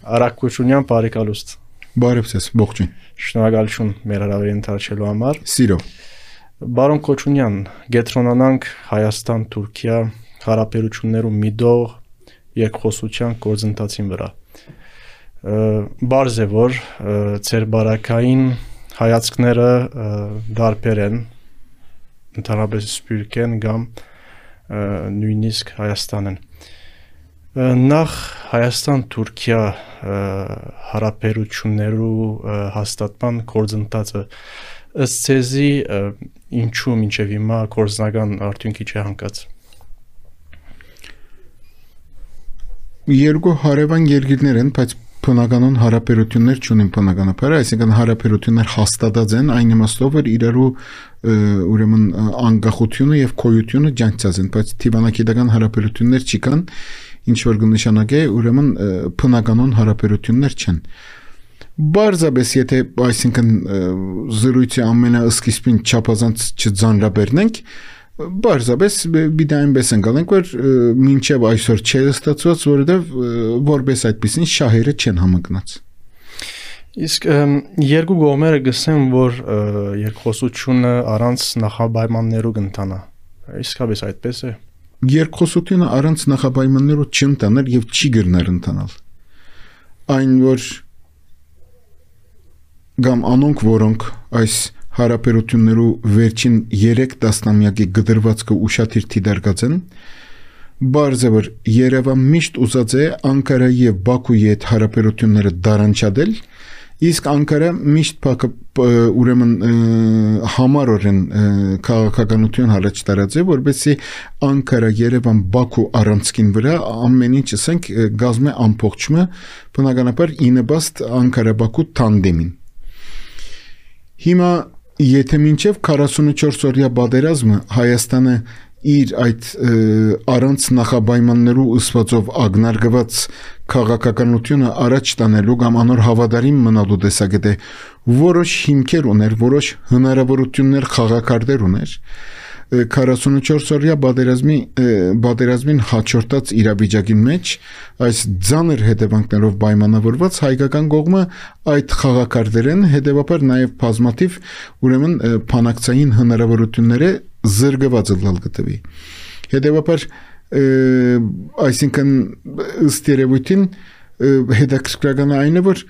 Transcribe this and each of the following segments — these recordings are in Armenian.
Արաքությունյան բարեկալուստ։ Բարև ձեզ, ողջույն։ Շնորհակալություն մեր հրավերին ընդառաջելու համար։ Սիրով։ Բարոն Քոչունյան, գետրոնանանք Հայաստան-Թուրքիա հարաբերություններու միտող երկխոսության գործընթացին վրա։ Բարձ է որ ձեր բարակային հայացքները դարբեր են, ընդհանրապես սպյուրք են կամ նույնիսկ Հայաստան են։ Նախ Հայաստան-Թուրքիա հարաբերություններու հաստատման գործընթացը ըստ ձեզի ինչու մինչև հիմա գործնական արդյունքի չի հանգած։ Երկու հարևան երկիրներ են, բայց բնականon հարաբերություններ չունեն բնականաբար, այսինքն հարաբերություններ հաստատած են այն իմաստով, որ իրարու ուրեմն անկախությունը եւ քոյությունը ջանցած են, բայց դիվանագիտական հարաբերություններ չկան, ինչ որ կնշանակե ուրեմն բնականon հարաբերություններ չեն։ Բարձրապես եթե այսինքն զրույցի ամենասկիզբին չափազանց չձանրաբեռնենք, բարձրապես бид այնպես ընկալենք, որ մինչև այսօր չէ ստացված, որովհետև որպես այդպեսին շահերը չեն համընկնած։ Իսկ երկու կողմերը գսեն, որ երկխոսությունը առանց նախապայմաններու կընթանա։ Իսկապես այդպես է։ Երկխոսությունը առանց նախապայմաններու չընթաներ եւ չի գրներ ընթանալ։ Այն որ կամ անոնք, որոնք այս հարաբերություններու վերջին 3 տասնամյակի գդրվածքը ուշադիր դիտարկած են, բարձ է որ Երևան միշտ ուզած է Անկարայի եւ Բաքուի հետ հարաբերությունները դարանչադել, իսկ Անկարա միշտ ուրեմն համառորեն քաղաքականություն առաջ տարած է, որովհետեւ Անկարա, Երևան, Բաքու առանցքին վրա ամեն ինչ ասենք գազմե ամբողջը բնականաբար ինեբաստ Անկարա-Բաքու տանդեմին։ Հիմա եթե մինչև 44 օրյա պատերազմը Հայաստանը իր այդ առանց նախապայմաններու ըսվածով ագնարգված քաղաքականությունը առաջ տանելու կամ անոր հավատարիմ մնալու տեսակետը որոշ հիմքեր ուներ, որոշ հնարավորություններ խաղակարգեր ուներ, 44 օրյա պատերազմին հաջորդած իրավիճակին մեջ այս ձանր հետևանքներով պայմանավորված հայկական կողմը այդ խաղակարգերեն հետևաբար նաև բազմաթիվ ուրեմն փանակցային հնարավորությունները զրկված լալ գտվի։ Հետևաբար այսինքն ըստ երևույթին հետաքրքրական այն է, որ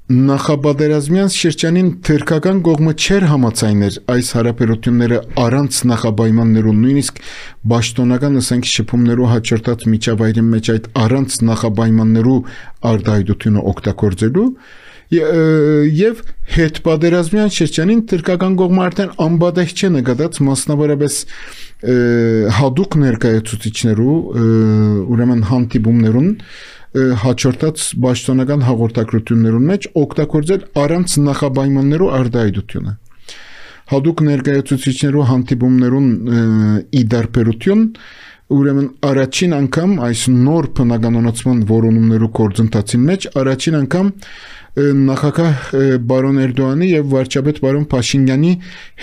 նախապատերազմյան շրջանին թուրքական կողմը չէր համաձայներ այս հարաբերությունները առանց նախապայմաններու, նույնիսկ պաշտոնական ասենք շփումներու հաջորդած միջավայրի մեջ այդ առանց նախապայմաններու արտահայտությունը օգտագործելու եւ հետպատերազմյան շրջանին թուրքական կողմը արդեն անբադեղ չէ նկատած մասնավորապես հadouk ներկայացուցիչներու ուրեմն հանդիպումներուն հաջորդած պաշտոնական հաղորդակցություններուն մեջ օգտագործել առանց նախապայմաններու արտահայտությունը։ Հadouk ներկայացուցիչներու հանդիպումներուն իդարբերություն ուրեմն առաջին անգամ այս նոր բնականոնացման որոնումներու գործընթացին մեջ առաջին անգամ նախագահ բարոն Էրդողանի եւ վարչապետ բարոն Փաշինյանի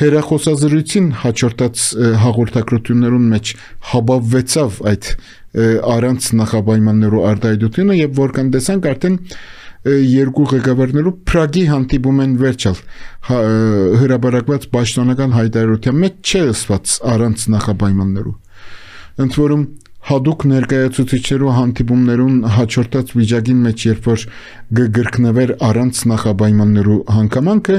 հերախոսազրույցին հաջորդած հաղորդակցություններուն մեջ հաբավվեցավ այդ առանց նախապայմաններու արտահայտությունը եւ որքան տեսանք արդեն երկու ղեկավարներու Պրագի հանդիպում են վերջալ հրապարակված պաշտոնական հայտարարության մեջ չէ ասված առանց նախապայմաններու ընդ որում հadouk ներկայացուցիչներու հանդիպումներուն հաջորդած վիճակին մեջ երբ որ գրկնվեր առանց նախապայմաններու հանգամանքը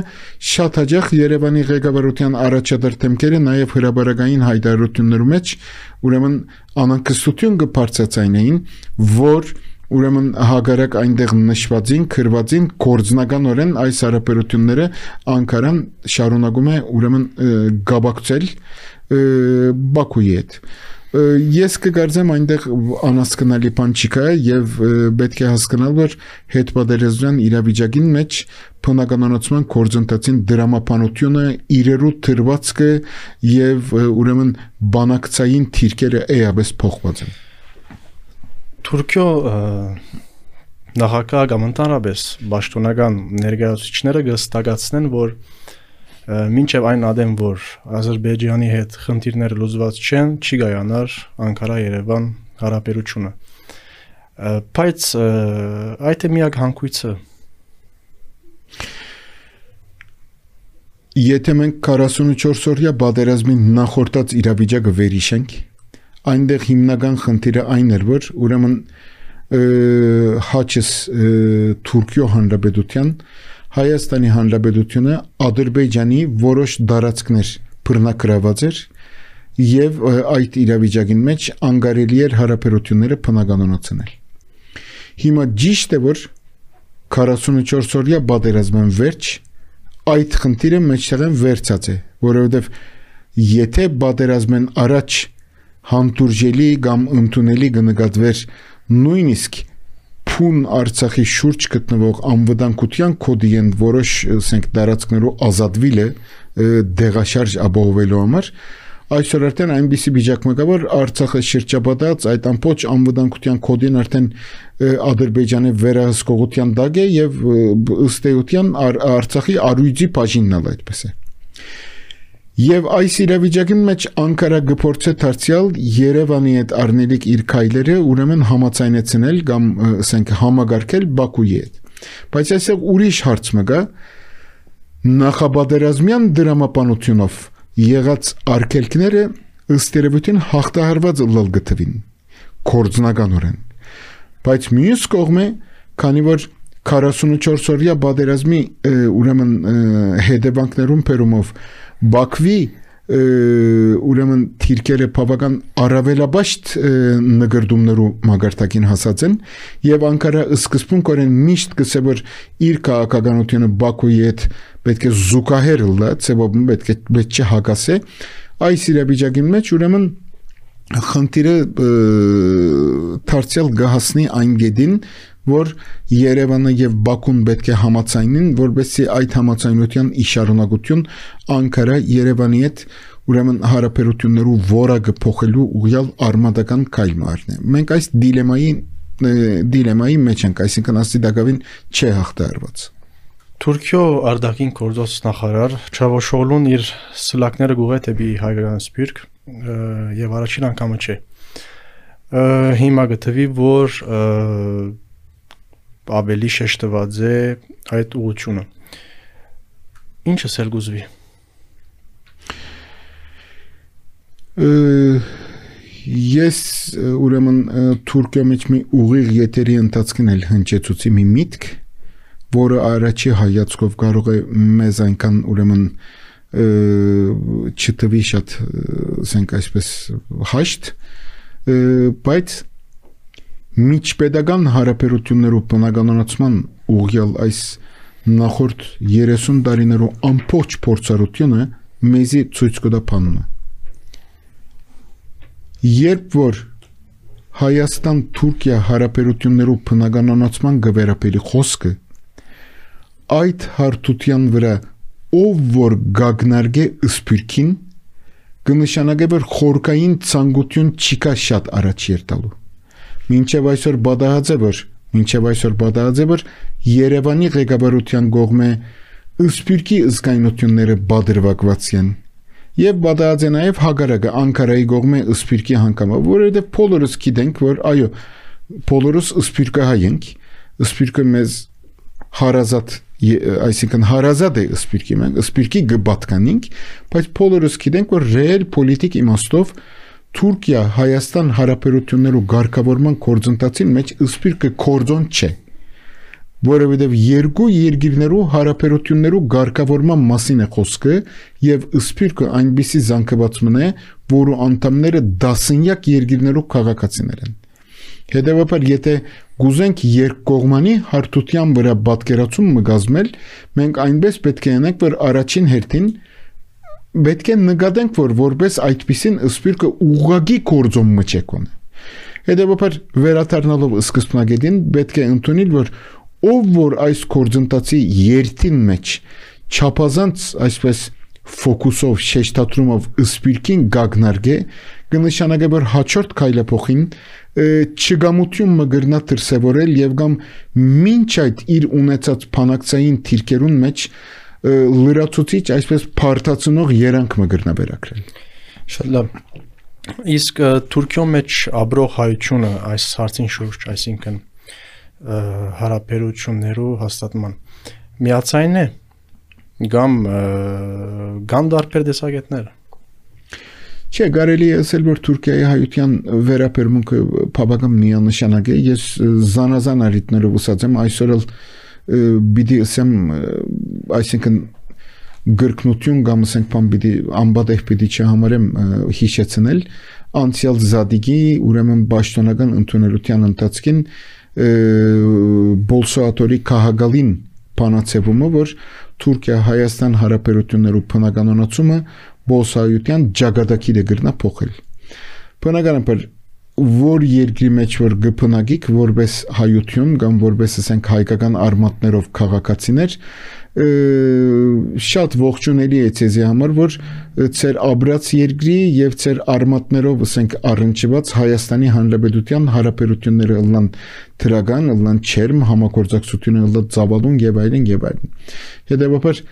շատ հաճախ Երևանի ղեկավարության առաջադար թեմքերը նաև հրապարակային հայտարարություններու մեջ ուրեմն անակստություն կբարձրացնեին, որ ուրեմն հագարակ այնտեղ նշվածին, քրվածին գործնականորեն այս հարաբերությունները Անկարան շարունակում է ուրեմն գաբակցել Բաքուի հետ։ Ես կգարձեմ այնտեղ անհասկանալի բան չկա եւ պետք է հասկանալ, որ հետպատերազմյան իրավիճակին մեջ բնականոնացման գործընթացին դրամապանությունը իրերու թրվածքը եւ ուրեմն բանակցային թիրքերը էապես փոխված են։ Թուրքիո նախագահ կամ ընդհանրապես պաշտոնական ներկայացուցիչները կհստակեցնեն, որ մինչև այն ադեմ, որ Ադրբեջանի հետ խնդիրները լուծված չեն, չի կայանար Անկարա-Երևան հարաբերությունը։ Բայց այդ է միակ հանգույցը։ Եթե մենք 44-օրյա պատերազմի նախորդած իրավիճակը վերհիշենք, այնտեղ հիմնական խնդիրը այն էր, որ ուրեմն հաճս Թուրքիո Հանրապետության, Հայաստանի Հանրապետությունը Ադրբեջանի որոշ տարածքներ բռնակրաված էր եւ այդ իրավիճակին մեջ անկարելի էր հարաբերությունները բնականոնացնել։ Հիմա ճիշտ է, որ 44-օրյա պատերազմն վերջ այդ խնդիրը մեջտեղեն վերցած է, որովհետև եթե պատերազմեն առաջ հանդուրժելի կամ ընդունելի կնկատվեր նույնիսկ փուն Արցախի շուրջ գտնվող անվտանգության կոդի են որոշ ասենք տարածքներով ազատվելը դեղաշարժ ապահովելու համար, այսօր արդեն այնպիսի վիճակ մեկա, որ Արցախը շրջապատած այդ ամբողջ անվտանգության կոդին արդեն Ադրբեջանի վերահսկողության տակ է եւ ըստ էության Արցախի արույցի բաժինն էլ այդպես է։ Եվ այս իրավիճակի մեջ Անկարա գործե դարձյալ Երևանի հետ առնելիք իր քայլերը ուրեմն համաձայնեցնել կամ ասենք համագարկել Բաքուի հետ։ Բայց այսօր ուրիշ հարց մը կա նախապատերազմյան դրամապանությունով եղած արգելքները ըստ երևույթին հաղթահարված ըլլալ գտվին կորձնականորեն։ Բայց մյուս կողմը, քանի որ 44-օրյա պատերազմի ուրեմն հետևանքներուն բերումով Բաքվի ուրեմն թիրքերը բավական առավելաբաշտ նկրդումներու մագարտակին հասած են եւ Անկարա սկզբունքորեն միշտ գսե որ իր քաղաքականությունը Բաքուի հետ պետք է զուգահեռ լա, ծեվոբն պետք է հակասե այս իրավիճակի մեջ ուրեմն խնդիրը դարձյալ գահասնի այն գեդին որ Երևանը եւ Բաքուն պետք է համաձայնին որովհետեւ այդ համաձայնության իշարունակություն Անկարա Երևանի հետ ուրեմն հարաբերություններու որակը փոխելու ուղղյալ արմատական քայլ մարտն է մենք այս դիլեմայի մեջ ենք այսինքն աստիդակավին չէ հաղթահարված Թուրքիո արտաքին գործոս նախարար Չավուշօղլուն իր սլակները գուղե դեպի հայկական սփյուռք եւ առաջին անգամը չէ հիմա գտվի որ ավելի շեշտված է այդ ուղղությունը ինչը սել գուզվի ես ուրեմն Թուրքիո մեջ մի ուղիղ եթերի ընթացքին էլ հնչեցուցի մի միտք որը առաջի հայացքով կարող է մեզ այնքան ուրեմն չթվի շատ ասենք այսպես հաշտ բայց միջպետական հարաբերություններով բնականոնացման ուղղյալ այս նախորդ 30 տարիներով ամբողջ փորձառությունը մեզի ցույց կտա բանը երբ որ Հայաստան-Թուրքիա հարաբերություններով բնականոնացման գվերապելի խոսքը այդ հարթության վրա ով որ գագնարգե սփյուռքին կնշանակե որ խորքային ցանկություն չկա շատ առաջ երտալու մինչև այսօր բադահած է որ Երևանի ղեկավարության կողմէ սփյուռքի զգայունությունները բادرվակված են եւ բադահած է նաեւ հագարակը Անկարայի կողմէ սփյուռքի հանգամը որովհետեւ բոլորս գիտենք որ այո բոլորս սփյուռքահայ ենք սփյուռքը մեզ հարազատ այսինքն հարազատ է սփյուռքի մենք սփյուռքի գբատկանինք բայց բոլորս գիտենք որ ռեալ պոլիտիկ իմաստով Թուրքիա Հայաստան հարաբերություններու ղեկավարման կորձընթացին մեջ սփյուռքը կորձոն չէ որովհետև երկու երկիրներու հարաբերություններու ղեկավարման մասին է խոսքը եւ սփյուռքը այնպիսի զանգվածում է որը անդամները դասնյակ երկիրներու քաղաքացիներ են հետեւաբար եթե գուզենք երկկողմանի հարթության վրա պատկերացում մգազմել մենք այնպես պետք է անենք որ առաջին հերթին պետք է նկատենք որ որպես այդպիսին սփյուռքը ուղղակի կորձոմ մճեկոն հետեւաբար վերադառնալով սկզբնագետին պետք է ընդունել որ ով որ այս կորձընթացի երթին մեջ չափազանց այսպես ֆոկուսով շեշտադրումով սփյուռքին գագնարգե կնշանակե որ հաջորդ քայլափոխին չգամություն մգրնա դրսևորել եւ կամ մինչ այդ իր ունեցած փանակցային թիրքերուն մեջ լրացուցիչ այսպես փարտացնող երանգ մգրնա վերակրել շատ լավ Իսկ Թուրքիո մեջ ապրող հայությունը այս հարցին շուրջ, այսինքն հարաբերություններու հաստատման միացայն է կամ կան դարբեր տեսակետներ։ Չէ, կարելի է ասել, որ Թուրքիայի հայության վերաբերմունքը բավական միանշանակ է։ Ես զանազան առիթներով ասած եմ, այսօր էլ պիտի ասեմ, այսինքն գրկնություն կամ ասենք բան պիտի անբադեղ պիտի չհամարեմ հիշեցնել անցյալ զադիգի ուրեմն պաշտոնական ընդունելության ընթացքին Բոլսոատորի քաղաքալին բանացևումը, որ Թուրքիա-Հայաստան հարաբերություններու բնականոնացումը Բոլսոայության ճակատագիրը գրնա փոխել։ Բնականաբար որ երկրի մեջ որ գփնագիկ որպես հայություն կամ որպես ասենք հայկական արմատներով քաղաքացիներ շատ ողջունելի է ցեզի համար որ ծեր աբրած երկրի եւ ծեր արմատներով ասենք առնչված Հայաստանի Հանրապետության հարաբերությունները ըլլան դրական ըլլան չերմ համագործակցությունը ըլլա ծավալուն եւ այլն հետեւաբար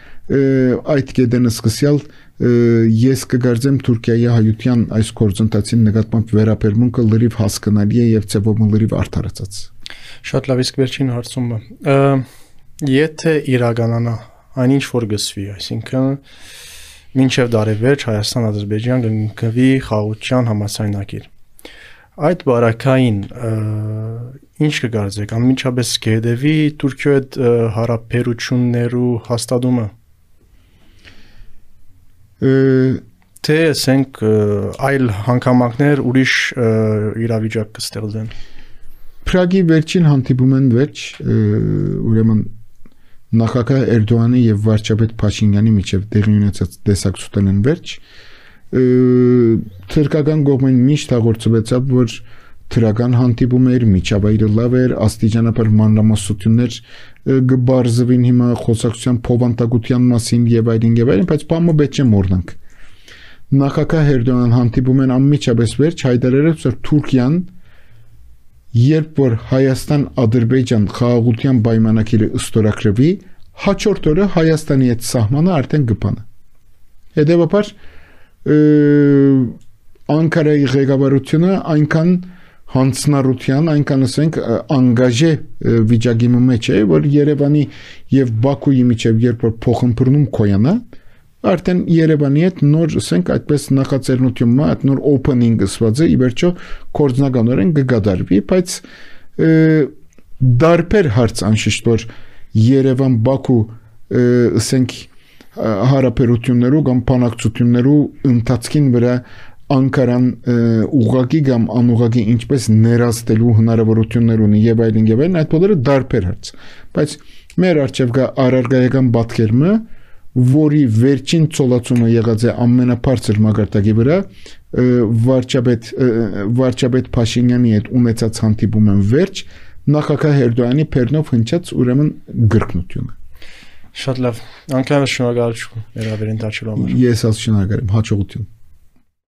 այդ կետեն սկսյալ ես կգարձեմ Թուրքիայի հայության այս գործընթացին նկատմամբ վերաբերմունքը լրիվ հասկանալի է եւ ծեվում լրիվ արդարացած։ Շատ լավ, իսկ վերջին հարցումը եթե իրականանա այնինչ որ գսվի, այսինքն մինչև դարեվերջ Հայաստան-Ադրբեջան կգնվի խաղաղության համաձայնագիր։ Այդ բարակային ինչ կգարձեք, անմիջապես կհետևի Թուրքիո հետ հարաբերություններու հաստատումը։ Թե ասենք այլ հանգամանքներ ուրիշ իրավիճակ կստեղծեն։ Պրագի վերջին հանդիպումն վերջ ուրեմն նախագահ Էրդողանի եւ վարչապետ Փաշինյանի միջև տեղի ունեցած տեսակցութենն վերջ թուրքական կողմեն միշտ հաղորդեցավ որ թրական հանդիպում էր միջավայրը լավ էր աստիճանաբար մանրամասնություններ գբարձվին հիմա խոսակցության փոխանցության մասին եւ այլն բայց բամը պետք է մոռնանք նախագահ Էրդողան հանդիպում են անմիջապես վերջ հայտարարեց որ Թուրքիան երբ որ Հայաստան-Ադրբեջան խաղաղության պայմանագիրը ստորագրվի հաջորդ օրը Հայաստանի հետ սահմանը արդեն կփանա հետեւաբար Անկարայի ղեկավարությունը այնքան հանցնառության այնքան ասենք անգաժե վիճակի մեջ է որ Երևանի եւ Բաքուի միջև երբ որ փոխըմբռնում կոյանա արդեն Երևանի հետ նոր ասենք այդպես նախաձեռնությունը այդ նոր օփենինգը սվածը ի վերջո կորձնականորեն կգադարվի բայց դարբեր հարց անշիշտ որ Երևան-Բաքու ասենք հարաբերություններու կամ բանակցություններու ընթացքին վրա Անկարան ուղղակի կամ անուղղակի ինչպես ներաստելու հնարավորություններ ունի եւ այլն այդ բոլորը դարբեր հարց բայց մեր արժեվ կա առարգայական պատկերումը որի վերջին ցոլացումը եղած է ամենաբարձր մակարդակի վրա վարչապետ Փաշինյանի հետ ունեցած հանդիպումն վերջ նախագահ Էրդողանի Փերնով հնչած ուրեմն գրկնությունը Շատ լավ, անկարան շնորհակալություն մեր ավերին դարձելու համար։ Ես ալ շնորհակալ եմ, հաջողություն։